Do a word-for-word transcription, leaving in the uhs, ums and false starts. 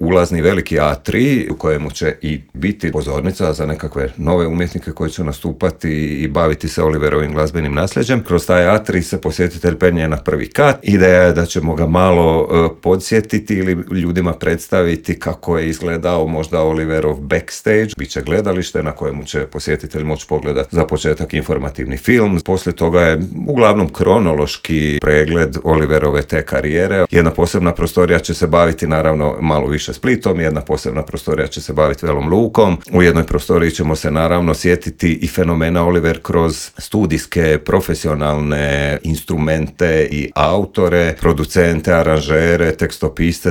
ulazni veliki atrij u kojemu će i biti pozornica za nekakve nove umjetnike koji će nastupati i baviti se Oliverovim glazbenim nasljeđem. Kroz taj atrij se posjetitelj penje na prvi kat. Ideja je da ćemo ga malo uh, podsjetiti ili ljudima predstaviti kako je izgledao možda Oliverov backstage. Biće gledalište na kojemu će posjetitelj moći pogledati za početak informativni film. Poslije toga je uglavnom kronološki pregled Oliverove te karijere. Jedna posebna prostorija će se baviti naravno malo više Splitom, jedna posebna prostorija će se baviti Velom Lukom. U jednoj prostoriji ćemo se naravno sjetiti i fenomena Oliver kroz studijske, profesionalne instrumente i autore, producente, aranžere, tekstopiste,